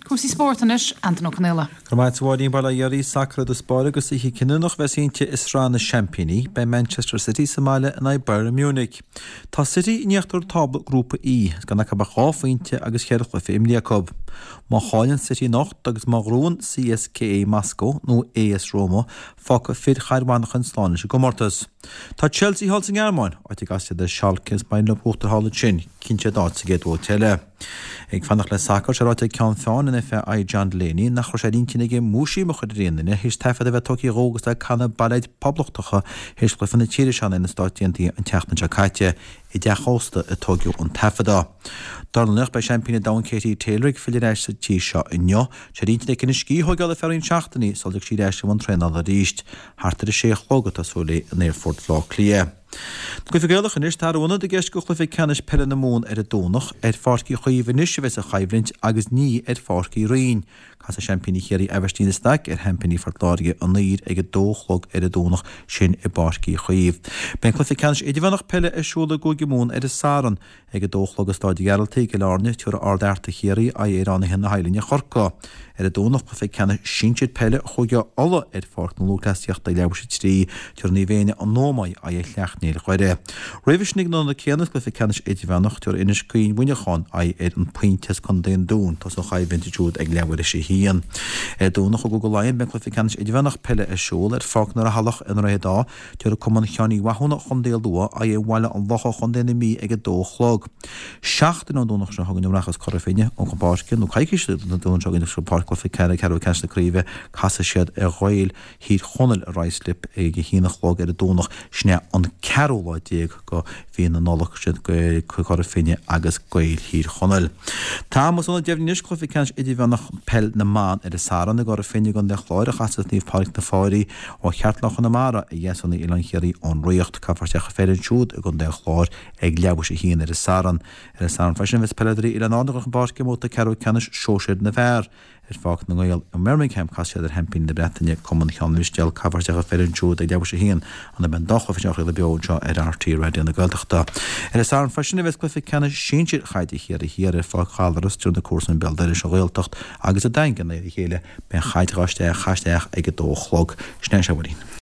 Cúrsaí spóirt anois, Antain Ó Conaola. Go raibh maith agat a Mháirín, bail ó Dhia oraibh, sacar i dtús báire agus oíche cinniúnach a bheas inti i Sraith na Seaimpíní. Beidh Manchester City sa mbaile in aghaidh Bayern Munich. Tá City in íochtar tábla Grúpa E, is gan acu ach 2 phointe agus cheithre chluiche imrithe acu. Má chailleann City anocht agus má ghnóthaíonn CSKA Moscow nó AS Roma, fágfaidh fir Chathair Mhanchain slán leis an gcomórtas. Tá Chelsea thall sa nGearmáin, áit a gcasfaidh siad ar Schalke agus má éiríonn leo buachtáil thall ansin, cinnteoidh siad áit sa gcéad bhabhta eile. Ag fanacht le sacar, sé ráite ag Ceann Feadhain an FAI John Delaney nach raibh sé ar intinn aige múisiam a chur ar aon duine théis taifead a bheith tógtha dhó agus é ag canadh bailéid poblachtacha théis chluiche na tíre seo in aghaidh na Stáit Aontaithe an tseachtain seo caite. I dteach ósta a tóigeadh an taifeadadh. Dár ndóigh beidh seaimpín an domhain Katie Taylor ag filleadh ar ais sa tír seo inniu. Sé ar intinn aici an scíth a thóigeáil ar feadh roinnt seachtainí sula dtiocfaidh sí ar ais i mbun traenála arís. Thart ar a sé a chlog atá súil léi in Aerfort Bhaile Átha Cliath. Cluiche Gaelach anois, tá athrú ionaid i gceist do chluiche ceannais peile na Mumhan ar an Domhnach. Ar Pháirc Uí Chaoimh anois a bheas an choimhlint agus ní ar Pháirc Uí Rinn. Casfaidh seaimpíní Chiarraí Aibhistín de Staic ar sheaimpíní Phort Láirge anoir ag 2 a chlog ar an Domhnach sin i bPáirc Uí Chaoimh. Beidh an cluiche ceannais idirmheánach peile ar siúl i gCúige Mumhan ar an Satharn. Ag 2 a chlog i Stáid an Ghearaltaigh i gCill Airne, tabharfaidh Ard Fhearta Chiarraí aghaidh ar Fhánaithe na hOilinne Chorcaí. Ar an Domhnach, cluiche ceannais sinsir peile Chúige Uladh ar Pháirc na Lúthchleasaíochta ag leathuair tar éis a 3, tabharfaidh Naomh Éanna an Ómaigh aghaidh ar Shleacht Néill Dhoire. Roimhe sin ag an ionad céanna, cluiche ceannais idirmheánach, tabharfaidh Inis Caoin Mhuineacháin aghaidh ar An Pointe as Contae an Dúin. Tosóidh an choimhlint ansiúd ag leathuair tar éis a haon. Ar an Domhnach i gCúige Laighean, beidh cluiche ceannais idirmheánach peile ar siúl ar Pháirc na Raghnallach i nDroichead Átha. Tabharfaidh Cumann Sheáin Uí Mhathúna Chontae Lú aghaidh ar Bhaile an Locha Chontae na Mí ag 2 a chlog. Seachtain ón Domhnach seo chugainn a rachas Cora Finne chun páirce, nó coicís ón Domhnach seo chugainn chun páirce cluiche ceathrú ceannais na craoibhe, casfaidh siad ar Ghaeil Thír Chonaill i Ruislip ag 1 a chlog ar an Domhnach, sin é an ceathrú lá déag de mhí na Nollag, siad Cora Finne agus Gaeil Thír Chonaill. Tá am agus ionad deimhnithe anois cluiche ceannais idirmheánach peil na mban ar an Satharn i gCora Finne i gContae an Chláir a chasfas Naomh Pádraig na Fáirí Ó Cheartlán Chonamara ar Dheasúnaigh Oileán Chiarraí ón Ríocht. Caithfear isteach an pheil ansiúd i gContae an Chláir ag leathuair tar éis a haon ar an Satharn. Ar an Satharn freisin bheas peileadóirí Oileáin Árann ag dul chun páirce i mbabhta ceathrú ceannais sóisir na bhfear. Ar Pháirc na nGael i mBirmingham casfaidh siad ar sheaimpíní na Breataine, Cumann Cheann Mhistéal. Caithfear isteach an pheil ansiúd ag leathuair tar éis a haon. An beidh an dá chluiche seo á chraoladh beo anseo ar RTÉ Raidió na Gaeltachta. Ar an Satharn freisin a bheas cluiche ceannais sinsir Chaide Chiarraí Thiar ar Pháirc Ghallaras tabharfaidh na comharsana Béal Dorais an Ghaeltacht agus an Daingean aghaidh ar a chéile. Beidh an chaid dhá isteach, isteach ag 2 a chlog. Sin é, a Mháirín.